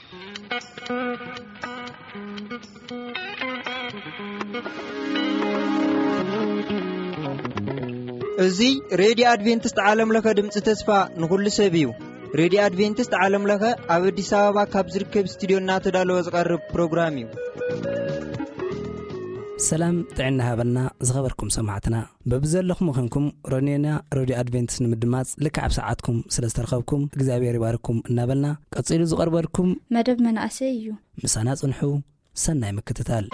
እዚ ሬድዮ ኣድቬንቲስት ዓለም ለኸ ድምፂ ተስፋ ንኹሉ ሰብ እዩ። ሬድዮ ኣድቬንቲስት ዓለም ለኸ ኣብ ኣዲስ ኣበባ ካብ ዝርከብ ስቱዲዮ እናተዳለወ ዝቐርብ ፕሮግራም እዩ። ሰላም ጥዕና ሃበልና ዝኸበርኩም ሰማዕትና። በብዘለኹም ምዃንኩም ሮኔና ሬድዮ ኣድቬንቲስት ንምድማጽ ልክዕ ኣብ ሰዓትኩም ስለ ዝተረኸብኩም እግዚኣብሔር ይባርኩም እናበልና፣ ቀጺሉ ዝቐርበልኩም መደብ መናእሰይ እዩ። ምሳና ጽንሑ። ሰናይ ምክትታል።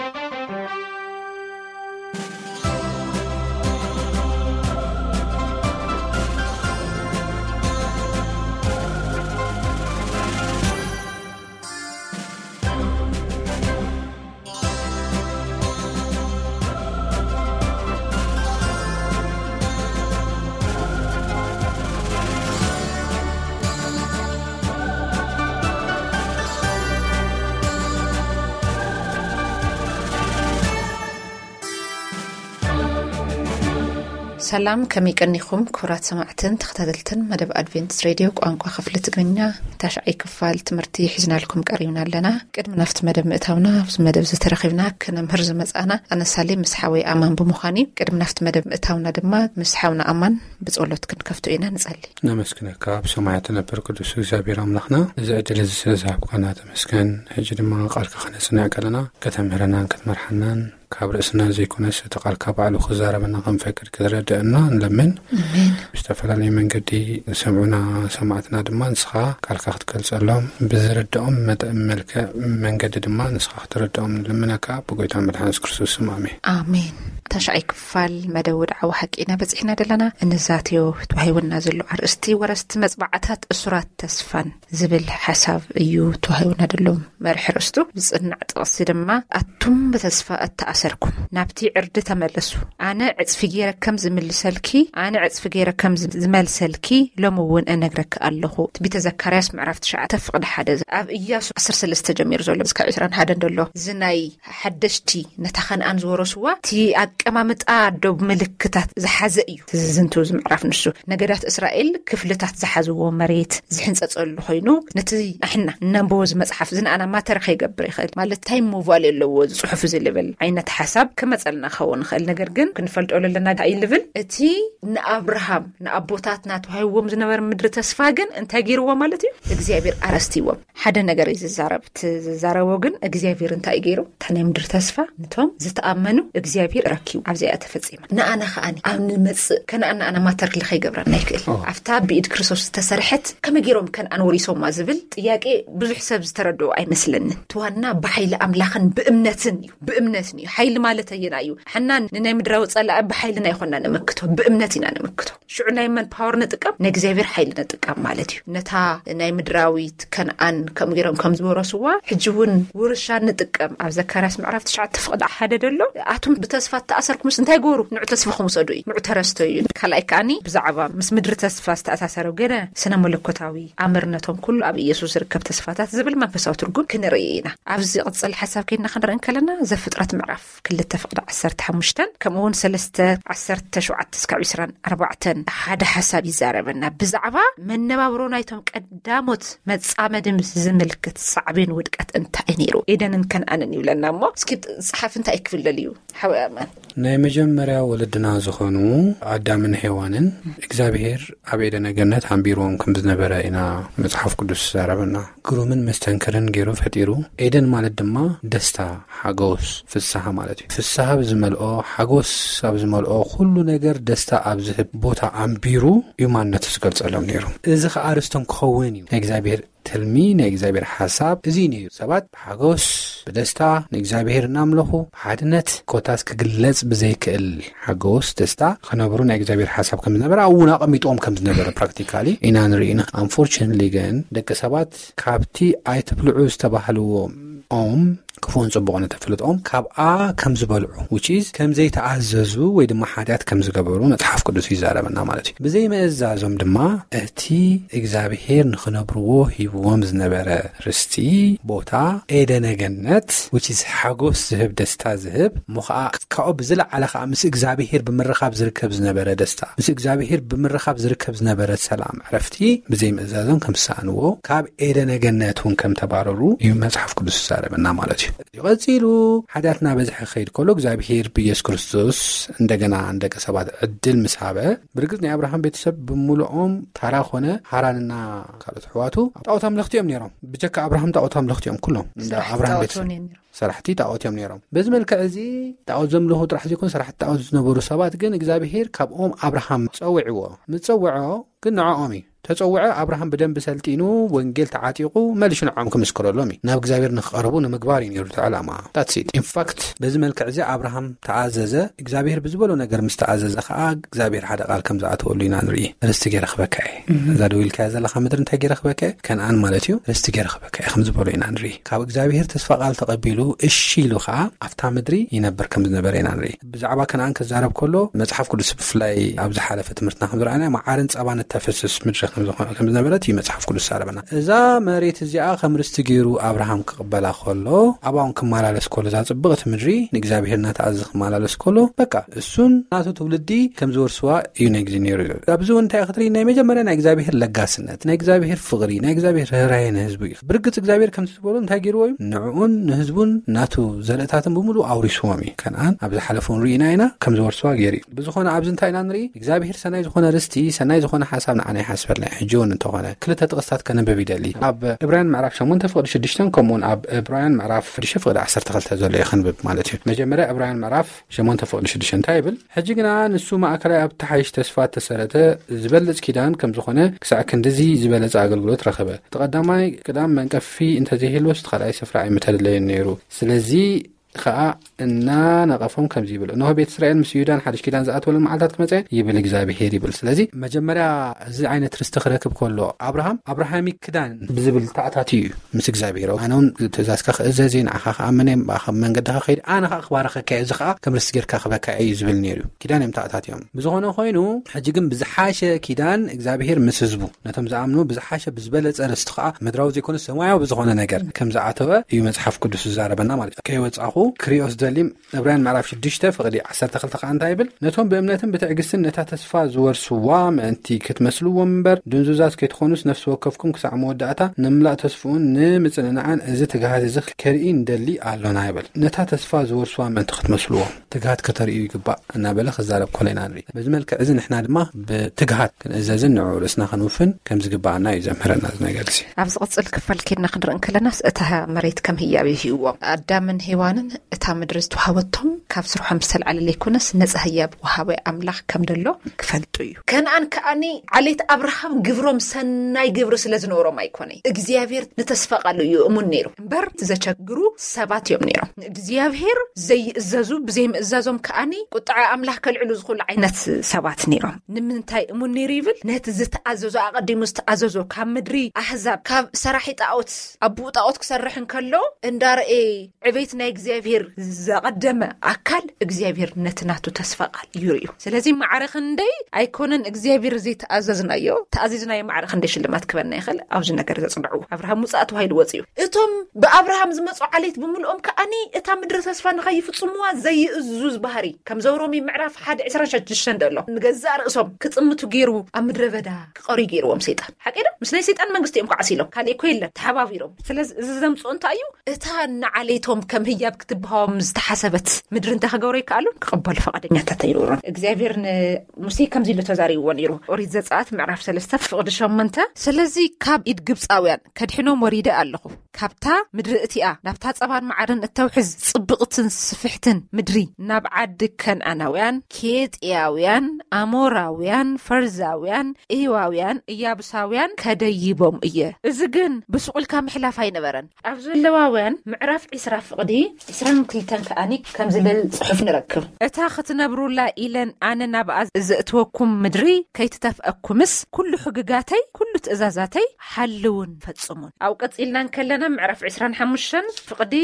ሰላም፣ ከመይ ቀኒኹም ክቡራት ሰማዕትን ተኸታተልትን መደብ ኣድቬንቲስት ሬድዮ ቋንቋ ክፍሊ ትግርኛ፣ ታሽዓይ ክፋል ትምህርቲ ሒዝናልኩም ቀሪብና ኣለና። ቅድሚ ናብቲ መደብ ምእታውና፣ ኣብዚ መደብ ዝተረኺብና ክነምህር ዝመጻና ኣነ ሳሌም ምስ ሓወይ ኣማን ብምዃን እዩ። ቅድሚ ናብቲ መደብ ምእታውና ድማ ምስ ሓውና ኣማን ብጸሎት ክንከፍቶ ኢና። ንጸሊ። ነመስግነካ ብሰማያት ትነብር ቅዱስ እግዚኣብሔር ኣምላኽና፣ እዚ ዕድል እዚ ስለ ዝሃብካና ተመስገን። ሕጂ ድማ ቃልካ ክነጽንዕ ከለና ከተምህረናን ክትመርሓናን ካብ ርእስና ዘይኮነስ እቲ ቃልካ ባዕሉ ክዛረበና ከም ፈቅድ ክትረድአና ንለምን። ኣሜን። ብዝተፈላለየ መንገዲ ዝሰምዑና ሰማዕትና ድማ ንስኻ ቃልካ ክትገልጸሎም ብዝርድኦም መጠን መልክዕ መንገዲ ድማ ንስኻ ክትረድኦም ንልምነካ ብጎይታ መድሓን የሱስ ክርስቶስ ስም ኣሜን። ኣሜን። ታሽዓይ ክፋል መደብ ወድዓዊ ሓቂ ኢና በጺሕና ዘለና። እንዛትዮ ተዋሂቡና ዘሎ ኣርእስቲ ወረስቲ መጽባዕታት እሱራት ተስፋን ዝብል ሓሳብ እዩ ተዋሂቡና ዘሎ መርሒ ርእስቱ። ዝጽናዕ ጥቕሲ ድማ ኣቱም ብተስፋ እተኣሰርኩም ናብቲ ዕርዲ ተመለሱ። ኣነ ዕጽፊ ገይረ ከም ዝምልሰልኪ፣ ኣነ ዕጽፊ ገይረ ከም ዝ-፣ ዝመልሰልኪ ሎሚ እውን እነግረኪ ኣለኹ። ትንቢተ ዘካርያስ ምዕራፍ ትሽዓተ ፍቕዲ ሓደ። ኣብ ኢያሱ ዓሰርተ ሰለስተ ጀሚሩ ዘሎ እስካብ ዕስራን ሓደን ዘሎ እዚ ናይ ሓደሽቲ ነታ ከነኣን ዝወረስዋ እቲ ኣቀማምጣ ዶብ ምልክታት ዝሓዘ እዩ። እቲ ዝዝንቱ እዚ ምዕራፍ ንሱ ነገዳት እስራኤል ክፍልታት ዝሓዝዎ መሬት ዝሕንጸጸሉ ኮይኑ ነቲ ኣሕና እነንብቦ እዚ መጽሓፍ እዚ ንኣና ማተር ከይገብር ይኽእል ማለት ታይም ሞቫል ኣለዎ እዚ ጽሑፍ እዚ ልብል ዓይነት ሓሳብ ክመጸልና ክኸውን ይኽእል። ነገር ግን ክንፈልጦ ዘለና እንታይ እዩ ልብል እቲ ንኣብርሃም ንኣቦታትና ተዋሂብዎም ዝነበረ ምድሪ ተስፋ ግን እንታይ ገይርዎ ማለት እዩ እግዚኣብሔር ኣረስቲዎም። ሓደ ነገር እዩ ዝዛረብ። እቲ ዝዛረቦ ግን እግዚኣብሔር እንታይ ገይሩ? እታ ናይ ምድሪ ተስፋ ነቶም ዝተኣመኑ እግዚኣብሔር ረኪቡ። ኣብዚኣ ተፈጺማ። ንኣና ከኣኒ ኣብ ንመጽእ ከነኣን ንኣና ማተር ክሊ ከይገብረና ይክእል። ኦ። ኣብታ ብኢድ ክርስቶስ ዝተሰርሐት ከመይ ገይሮም ከነኣን ወሪሶማ ዝብል ጥያቄ ብዙሕ ሰብ ዝተረድኦ ኣይመስለንን። እቲ ዋና ብሓይሊ ኣምላኽን ብእምነትን እዩ። ብእምነትን እዩ። ሓይሊ ማለት ኣየና እዩ? ሓና ንናይ ምድራዊ ጸላኢ ብሓይልና ኣይኮና ንምክቶ፣ ብእምነት ኢና ንምክቶ። ሽዑ ናይ መን ፓወር ንጥቀም? ናይ እግዚኣብሔር ሓይሊ ንጥቀም ማለት እዩ። ነታ ናይ ምድራዊት ከነኣን ከም ገይሮም ከም ዝወረስዋ፣ ሕጂ እውን ውርሻ ንጥቀም። ኣብ ዘካርያስ ምዕራፍ ትሽዓተ ፍቕዲ ሓደ ደሎ፣ ኣቱም ብተስፋ እተኣሰርኩምስ እንታይ ገበሩ? ንዑ ተስፋኹም ውሰዱ እዩ። ንዑ ተረስቶ እዩ። ካልኣይ ከኣኒ ብዛዕባ ምስ ምድሪ ተስፋ ዝተኣሳሰረው ገለ ስነ መለኮታዊ ኣምርነቶም ኩሉ ኣብ ኢየሱስ ዝርከብ ተስፋታት ዝብል መንፈሳዊ ትርጉም ክንርኢ ኢና። ኣብዚ ቅጽል ሓሳብ ከይድና ክንርኢ እንከለና ዘፍጥረት ምዕራፍ ክልተ ፍቕዲ ዓሰርተ ሓሙሽተን ከምኡ እውን ሰለስተ ዓሰርተ ሸውዓተ እስካብ ዕስራን ኣርባዕተን ሓደ ሓሳብ ይዛረበና። ብዛዕባ መነባብሮ ናይቶም ቀዳሞት መጻመዲ ምስ ዝምልክት ሳዕቤን ውድቀት እንታይ ነይሩ? ኤደንን ከነኣንን ይብለና እሞ፣ እስኪ ጸሓፊ እንታይ ክብል ደልዩ? ሓወይ ኣማን። ናይ መጀመርያ ወለድና ዝኾኑ ኣዳምን ሄዋንን እግዚኣብሔር ኣብ ኤደነ ገነት ኣንቢርዎም ከም ዝነበረ ኢና መጽሓፍ ቅዱስ ዝዛረበና። ግሩምን መስተንክርን ገይሩ ፈጢሩ። ኤደን ማለት ድማ ደስታ፣ ሓጎስ፣ ፍስሃ ማለት እዩ። ፍስሃ ኣብ ዝመልኦ፣ ሓጎስ ኣብ ዝመልኦ፣ ኩሉ ነገር ደስታ ኣብ ዝህብ ቦታ ኣንቢሩ እዩ ማንነቱ ዝገልጸሎም ነይሩ። እዚ ኸኣ ርስቶም ክኸውን እዩ። ናይ እግዚኣብሔር ትልሚ፣ ናይ እግዚኣብሔር ሓሳብ እዚ እዩ ነይሩ። ሰባት ብሓጎስ፣ ብደስታ ንእግዚኣብሔር እናምለኹ፣ ብሓድነት ኮታስ ክግለጽ ብዘይክእል ሓጎስ፣ ደስታ ክነብሩ ናይ እግዚኣብሔር ሓሳብ ከም ዝነበረ ኣብኡ እውን ኣቐሚጥዎም ከም ዝነበረ ፕራክቲካሊ ኢና ንርኢ ኢና። ኣንፎርቹነትሊ ግን ደቂ ሰባት ካብቲ ኣይትብልዑ ዝተባህልዎ ኦም ክፉእን ጽቡቕን እተፍልጦም ካብኣ ከም ዝበልዑ፣ which is ከም ዘይተኣዘዙ ወይ ድማ ሓጢኣት ከም ዝገበሩ መጽሓፍ ቅዱስ ይዛረበና ማለት እዩ። ብዘይ ምእዛዞም ድማ እቲ እግዚኣብሔር ንኽነብርዎ ሂብዎም ዝነበረ ርስቲ፣ ቦታ፣ ኤደነ ገነት፣ which is ሓጎስ ዝህብ፣ ደስታ ዝህብ፣ እሞ ኸዓ ካብኡ ብዝለዓለ ኸዓ ምስ እግዚኣብሔር ብምርኻብ ዝርከብ ዝነበረ ደስታ፣ ምስ እግዚኣብሔር ብምርኻብ ዝርከብ ዝነበረ ሰላም፣ ዕረፍቲ ብዘይ ምእዛዞም ከም ዝሰኣንዎ፣ ካብ ኤደነ ገነት እውን ከም ተባረሩ እዩ መጽሓፍ ቅዱስ ዝዛረበና ማለት እዩ። ቀጺሉ ሓጢኣትና በዝሐ ክኸይድ ከሎ እግዚኣብሔር ብኢየሱስ ክርስቶስ እንደገና ንደቂ ሰባት ዕድል ምስ ሃበ፣ ብርግጽ ናይ ኣብርሃም ቤተሰብ ብምሉኦም ታራ ኾነ ሃራንና ካልኦት ኣሕዋቱ ጣዖት ኣምለኽቲ እዮም ነይሮም። ብጀካ ኣብርሃም ጣዖት ኣምለኽቲ እዮም ኩሎም። እንዳ ኣብርሃም ቤተሰብ ሰራሕቲ ጣዖት እዮም ነይሮም። በዚ መልክዕ እዚ ጣዖት ዘምልኹ ጥራሕ ዘይኮኑ ሰራሕቲ ጣዖት ዝነበሩ ሰባት ግን እግዚኣብሔር ካብኦም ኣብርሃም ጸውዕዎ። ምስ ጸውዖ ግን ንዕኦም እዩ ተጸውዐ። ኣብርሃም ብደንቢ ሰልጢኑ፣ ወንጌል ተዓጢቑ፣ መሊሹ ንዕኦም ክምስክረሎም እዩ። ናብ እግዚኣብሔር ንክቐርቡ ንምግባር እዩ ነይሩ እቲ ዕላማ። That's it። In fact፣ በዚ መልክዕ እዚ ኣብርሃም ተኣዘዘ። እግዚኣብሔር ብዝበሎ ነገር ምስ ተኣዘዘ ኸዓ እግዚኣብሔር ሓደ ቃል ከም ዝኣተወሉ ኢና ንርኢ። ርስቲ ገይረ ክበካ እየ። እዛ ደው ኢልካያ ዘለኻ ምድሪ እንታይ ገይረ ክበካ እየ? ከነኣን ማለት እዩ። ርስቲ ገይረ ክበካ እየ ከም ዝበሎ ኢና ንርኢ። ካብ እግዚኣብሔር ተስፋ ቃል ተቐቢሉ እሺ ኢሉ ኸዓ ኣብታ ምድሪ ይነብር ከም ዝነበረ ኢና ንርኢ። ብዛዕባ ከነኣን ክዛረብ ከሎ መጽሓፍ ቅዱስ ብፍላይ ኣብ ዝሓለፈ ትምህርትና ከም ዝረኣናዮ መዓርን ጸባን እተፍስስ ምድሪ ከም ዝኾነ፣ ከም ዝነበረት እዩ መጽሓፍ ቅዱስ ዝዛረበና። እዛ መሬት እዚኣ ከም ርስቲ ገይሩ ኣብርሃም ክቕበላ ከሎ ኣብኣ እውን ክመላለስ ከሎ እዛ ጽብቕቲ ምድሪ ንእግዚኣብሔር እናተኣዘዘ ክመላለስ ከሎ በቃ እሱን ናቱ ትውልዲ ከም ዝወርስዋ እዩ ናይ ግዜ ነይሩ። ኣብዚ እውን እንታይ ክትርኢ ናይ መጀመርያ ናይ እግዚኣብሔር ለጋስነት፣ ናይ እግዚኣብሔር ፍቕሪ፣ ናይ እግዚኣብሔር ርህራሄ ንህዝቡ እዩ። ብርግጽ እግዚኣብሔር ከምቲ ዝበሎ እንታይ ገይርዎ እዩ? ንዕኡን ንህዝቡን ናቱ ዘርእታትን ብምሉእ ኣውሪስዎም እዩ። ከነኣን ኣብ ዝሓለፈ እውን ርኢና ኢና ከም ዝወርስዋ ገይሩ እዩ። ብዝኾነ ኣብዚ እንታይ ኢና ንርኢ? እግዚኣብሔር ሰናይ ዝኾነ ርስቲ፣ ሰናይ ዝኾነ ሓሳብ ንዓና ይሓስበልና እዩ። ሕጂ እውን እንተኾነ ክልተ ጥቕስታት ከነንብብ ይደሊ። ኣብ ዕብራውያን ምዕራፍ ሸሞንተ ፍቕዲ ሽዱሽተን ከምኡውን ኣብ ዕብራውያን ምዕራፍ ሽዱሽተ ፍቕዲ ዓሰርተ ክልተ ዘሎ እዩ ከንብብ ማለት እዩ። መጀመርያ ዕብራውያን ምዕራፍ ሸሞንተ ፍቕዲ ሽዱሽተ እንታይ ይብል? ሕጂ ግና ንሱ ማእከላይ ኣብቲ ሓይሽ ተስፋ እተሰረተ ዝበልጽ ኪዳን ከም ዝኾነ ክሳዕ ክንድዚ ዝበለጸ ኣገልግሎት ረኸበ። እቲ ቀዳማይ ቅዳም መንቀፊ እንተዘይህልዎስ እቲ ካልኣይ ስፍራ ኣይምተደለየን ነይሩ። ስለዚ ኸኣ እናነቐፎም ከምዚ ይብል፣ እንሆ ቤት እስራኤል ምስ ይሁዳን ሓድሽ ኪዳን ዝኣትወለን መዓልታት ክመጸ ይብል እግዚኣብሄር ይብል። ስለዚ መጀመርያ እዚ ዓይነት ርስቲ ክረክብ ከሎ ኣብርሃም ኣብርሃሚክ ክዳን ብዝብል ተኣታትዩ እዩ ምስ እግዚኣብሄር። ኣነ እውን ትእዛዝካ ክእዘዝ እየ፣ ንዓኻ ክኣምን እየ፣ ብኣኻ መንገድኻ ከይድ፣ ኣነ ኸኣ ክባረኸካ እየ፣ እዚ ኸኣ ከም ርስቲ ጌርካ ክበካ እዩ ዝብል ነይሩ እዩ። ኪዳን እዮም ተኣታትዮም። ብዝኾነ ኮይኑ ሕጂ ግን ብዝሓሸ ኪዳን እግዚኣብሄር ምስ ህዝቡ፣ ነቶም ዝኣምኑ ብዝሓሸ ብዝበለጸ ርስቲ ኸኣ ምድራዊ ዘይኮነ ሰማያዊ ብዝኾነ ነገር ከም ዝኣተወ እዩ መጽሓፍ ቅዱስ ዝዛረበና ማለት እዩ። ከይወጻኹ ክሪኦ ዝደሊ ዕብራውያን ምዕራፍ ሽዱሽተ ፍቕዲ ዓሰርተ ክልተ ኸኣ እንታይ ይብል? ነቶም ብእምነትን ብትዕግስትን ነታ ተስፋ ዝወርስዋ ምእንቲ ክትመስልዎም እምበር ድንዙዛት ከይትኾኑስ ነፍሲ ወከፍኩም ክሳዕ መወዳእታ ንምላእ ተስፍኡን ንምጽንናዕን እዚ ትግሃት እዚ ከርኢ ንደሊ ኣሎና ይብል። ነታ ተስፋ ዝወርስዋ ምእንቲ ክትመስልዎም ትግሃት ከተርእዩ ይግባእ እናበለ ክዛረብ ከሎ ኢና ንርኢ። በዚ መልክዕ እዚ ንሕና ድማ ብትግሃት ክንእዘዝን ንዕኡ ርእስና ክንውፍን ከም ዝግባኣና እዩ ዘምህረና እዚ ነገር እዚ። ኣብ ዝቕጽል ክፋል ኬድና ክንርኢ እንከለናስ እታ መሬት ከም ህያብ እዩ ሂብዎም። ኣዳምን ሄዋንን እታ ምድሪ ዝተዋህበቶም ካብ ስርሖም ዝተልዓለ ዘይኮነስ ነጻ ህያብ ወሃቢ ኣምላኽ ከም ደሎ ክፈልጡ እዩ። ከነኣን ከኣኒ ዓሌት ኣብርሃም ግብሮም ሰናይ ግብሪ ስለ ዝነበሮም ኣይኮነይ። እግዚኣብሔር ንተስፋ ቃሉ እዩ እሙን ነይሩ እምበር እቲ ዘቸግሩ ሰባት እዮም ነይሮም። ንእግዚኣብሔር ዘይእዘዙ ብዘይምእዛዞም ከኣኒ ቁጥዓ ኣምላኽ ከልዕሉ ዝኽእሉ ዓይነት ሰባት ነይሮም። ንምንታይ እሙን ነይሩ ይብል? ነቲ ዝተኣዘዞ ኣቐዲሙ ዝተኣዘዞ ካብ ምድሪ ኣህዛብ ካብ ሰራሒ ጣዖት ኣቡኡ ጣዖት ክሰርሕ እንከሎ እንዳረኤ ዕቤት ናይ እግዚኣብሔር ዘቐደመ ኣካል እግዚኣብሔር ነቲ ናቱ ተስፋ ቃል ይርእዩ። ስለዚ ማዕረ ክንደይ ኣይኮነን እግዚኣብሔር ዘይተኣዘዝናዮ፣ ተኣዚዝናዮ ማዕረ ክንደይ ሽልማት ክበና ይኽእል። ኣብዚ ነገር ዘጽንዑ ኣብርሃም ውጻእ ተባሂሉ ወጽዩ። እቶም ብኣብርሃም ዝመጹ ዓሌት ብምልኦም ከኣኒ እታ ምድሪ ተስፋ ንኸይፍጽምዋ ዘይእዙዝ ባህሪ ከም ዘውሮሚ ምዕራፍ ሓደ ዕስራን ሽዱሽተን ደሎ ንገዛእ ርእሶም ክጽምቱ ገይሩ ኣብ ምድረ በዳ ክቐርዩ ገይርዎም ሰይጣን። ሓቂ ዶ? ምስ ናይ ሰይጣን መንግስቲ እዮም ከዓሲሎም። ካልእ እኮ የለን። ተሓባቢሮም። ስለዚ እዚ ዘምጽኦ እንታይ እዩ? እታ ንዓሌቶም ከም ህያብ ክትበሃዎም ዝተሓሰበት ምድሪ እንታይ ክገብሩ ይከኣሉን ክቕበሉ ፈቓደኛታት ኣይነበሩን። እግዚኣብሔር ንሙሴ ከምዚ ኢሉ ተዛሪብዎ ነይሩ። ኦሪት ዘጸኣት ምዕራፍ ሰለስተ ፍቕዲ ሸሞንተ፣ ስለዚ ካብ ኢድ ግብጻውያን ከድሕኖም ወሪደ ኣለኹ። ካብታ ምድሪ እቲኣ ናብታ ጸባን መዓርን እተውሕዝ ጽብቕትን ስፍሕትን ምድሪ ናብ ዓዲ ከነኣናውያን፣ ኬጥያውያን፣ ኣሞራውያን፣ ፈርዛውያን፣ ኤዋውያን፣ እያቡሳውያን ከደይቦም እየ። እዚ ግን ብስቑልካ ምሕላፍ ኣይነበረን። ኣብ ዘለዋውያን ምዕራፍ ዕስራ ፍቕዲ ዕስራን ክልተን ከኣኒ ከም ዝብል ጽሑፍ ንረክብ። እታ ክትነብሩላ ኢለን ኣነ ናብኣ ዘእትወኩም ምድሪ ከይትተፍአኩምስ፣ ኩሉ ሕግጋተይ፣ ኩሉ ትእዛዛተይ ሓልውን ፈጽሙን። ኣብ ቀጺልና እንከለና ምዕራፍ ዕስራን ሓሙሽተን ፍቕዲ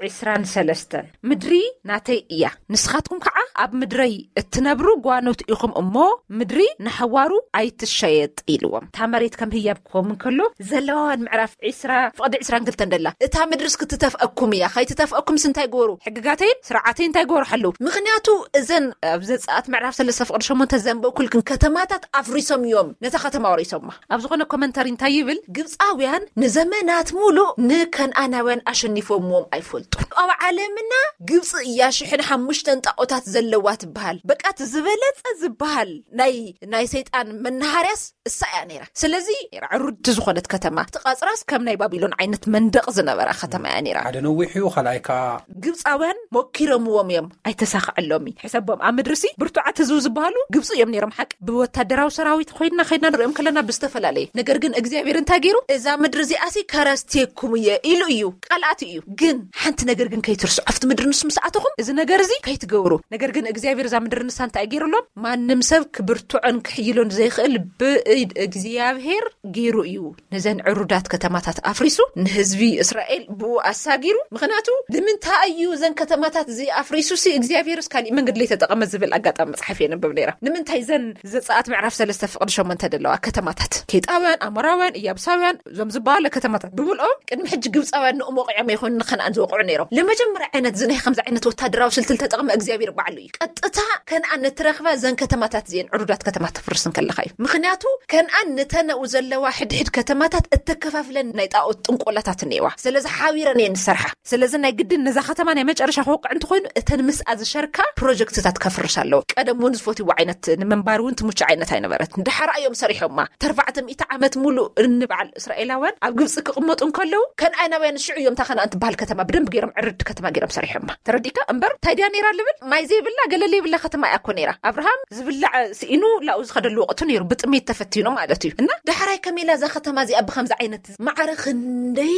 ዕስራን ሰለስተን፣ ምድሪ ናተይ እያ፣ ንስኻትኩም ከዓ ኣብ ምድረይ እትነብሩ ጓኖት ኢኹም እሞ፣ ምድሪ ንሓዋሩ ኣይትሸየጥ ኢልዎም። እታ መሬት ከም ህያብ ክኸውን ከሎ፣ ዘለዋውያን ምዕራፍ ዕስራ ፍቕዲ ዕስራን ክልተን ደላ፣ እታ ምድርስ ክትተፍአኩም እያ፣ ከይትተፍአኩምስ እንታይ ግበሩ? ሕግጋተይን ስርዓተይን እንታይ ግበሩ? ሓልው። ምኽንያቱ እዘን ኣብ ዘጸኣት ምዕራፍ ሰለስተ ፍቕዲ ሸሞንተ ዘንበብኩልክን ከተማታት ኣፍሪሶም እዮም፣ ነታ ከተማ ወሪሶማ። ኣብ ዝኾነ ኮመንታሪ እንታይ ይብል? ግብጻውያን ንዘመናት ሙሉእ ንከነኣናውያን ኣሸኒፎምዎም ኣይፈልጡን። ኣብ ዓለምና ግብጺ እያ ሽሕን ሓሙሽተን ጣኦታት ዘለዋ ትበሃል። በቃ እቲ ዝበለጸ ዝበሃል ናይ፣ ናይ ሰይጣን መናሃርያስ እሳ እያ ነይራ። ስለዚ ነይራ ዕሩድቲ ዝኾነት ከተማ። እቲ ቐጽራስ ከም ናይ ባቢሎን ዓይነት መንደቕ ዝነበራ ከተማ እያ ነይራ። ሓደ ነዊሕ እዩ፣ ካልኣይ ከኣ ግብጻውያን ሞኪሮምዎም እዮም፣ ኣይተሳኽዐሎም እዩ። ሕሰቦም፣ ኣብ ምድሪ ሲ ብርቱዓት ህዝቡ ዝበሃሉ ግብጺ እዮም ነይሮም። ሓቂ ብወታደራዊ ሰራዊት ኮይንና ከይድና ንሪኦም ከለና ብዝተፈላለየ። ነገር ግን እግዚኣብሔር እንታይ ገይሩ? እዛ ምድሪ እዚኣ ሲ ከረስቴኩም እየ ኢሉ እዩ፣ ቃል ኣትዩ እዩ። ግን ሓንቲ ነገር ግን ከይትርስዑ፣ ኣብቲ ምድሪ ንሱ ምስ ኣተኹም እዚ ነገር እዚ ከይትገብሩ። ነገር ግን እግዚኣብሔር እዛ ምድሪ ንሳ እንታይ ገይሩሎም? ማንም ሰብ ክብርትዖን ክሕይሎን ዘይኽእል ብኢድ እግዚኣብሔር ገይሩ እዩ ነዘን ዕሩዳት ከተማታት ኣፍሪሱ ንህዝቢ እስራኤል ብኡ ኣሳጊሩ። ምኽንያቱ ንምንታይ እዩ እዘን ከተማታት እዚ ኣፍሪሱ ሲ እግዚኣብሔርስ ካሊእ መንገዲ ለይተጠቐመ ዝብል ኣጋጣሚ መጽሓፍ የንብብ ነይራ። ንምንታይ እዘን ዘጸኣት ምዕራፍ ሰለስተ ፍቕዲ ሸሞንተ ዘለዋ ከተማታት ኬጣውያን፣ ኣሞራውያን፣ እያብሳውያን እዞም ዝበሃሉ ከተማታት ብምልኦም ቅድሚ ሕጂ ግብጻውያን ንእሞ ወቂዖም ይኹን ንከነኣን ዝወቕዑ ነይሮም። ለመጀመርያ ዓይነት እዚ ናይ ከምዚ ዓይነት ወታደራዊ ስልቲ ዝተጠቕመ እግዚኣብሔር ባዕሉ እዩ። ቀጥታ ከነኣን እትረኽባ እዘን ከተማታት እዚአን ዕሩዳት ከተማ ተፍርስ እንከለኻ እዩ። ምኽንያቱ ከነኣን ንተነኡ ዘለዋ ሕድሕድ ከተማታት እተከፋፍለን ናይ ጣኦት ጥንቆላታት እኒአዋ። ስለዚ ሓቢረን እየን ዝሰርሓ። ስለዚ ናይ ግድን ነዛ ከተማ ናይ መጨረሻ ክወቅዕ እንተኾይኑ እተን ምስኣ ዝሸርካ ፕሮጀክትታት ከፍርስ ኣለዎ። ቀደም እውን ዝፈትይዋ ዓይነት ንምንባር እውን ትምቹ ዓይነት ኣይነበረት። ድሓራ እዮም ሰሪሖማ። ተርባዕተ ሚእቲ ዓመት ሙሉእ እንበዓል እስራኤላውያን ኣብ ግብፂ ክቕመጡ እንከለዉ ከነኣናውያን ሽዑ እዮም እታ ከነኣን ትበሃል ከተማ ብደንብ ገይሮም ዕርድ ከተማ ገይሮም ሰሪሖማ። ተረዲእካ? እምበር እንታይ ድያ ነይራ ልብል ማይ ዘይብላ ገለ ዘይብላ ከተማ እያ እኮ ነይራ። ኣብርሃም ዝብላዕ ስኢኑ ላኡ ዝኸደሉ ወቕቲ ነይሩ፣ ብጥሜት ተፈቲኑ ማለት እዩ። እና ዳሕራይ ከመይ ኢላ እዛ ከተማ እዚኣ ብኸምዚ ዓይነት ማዕረ ክንደይ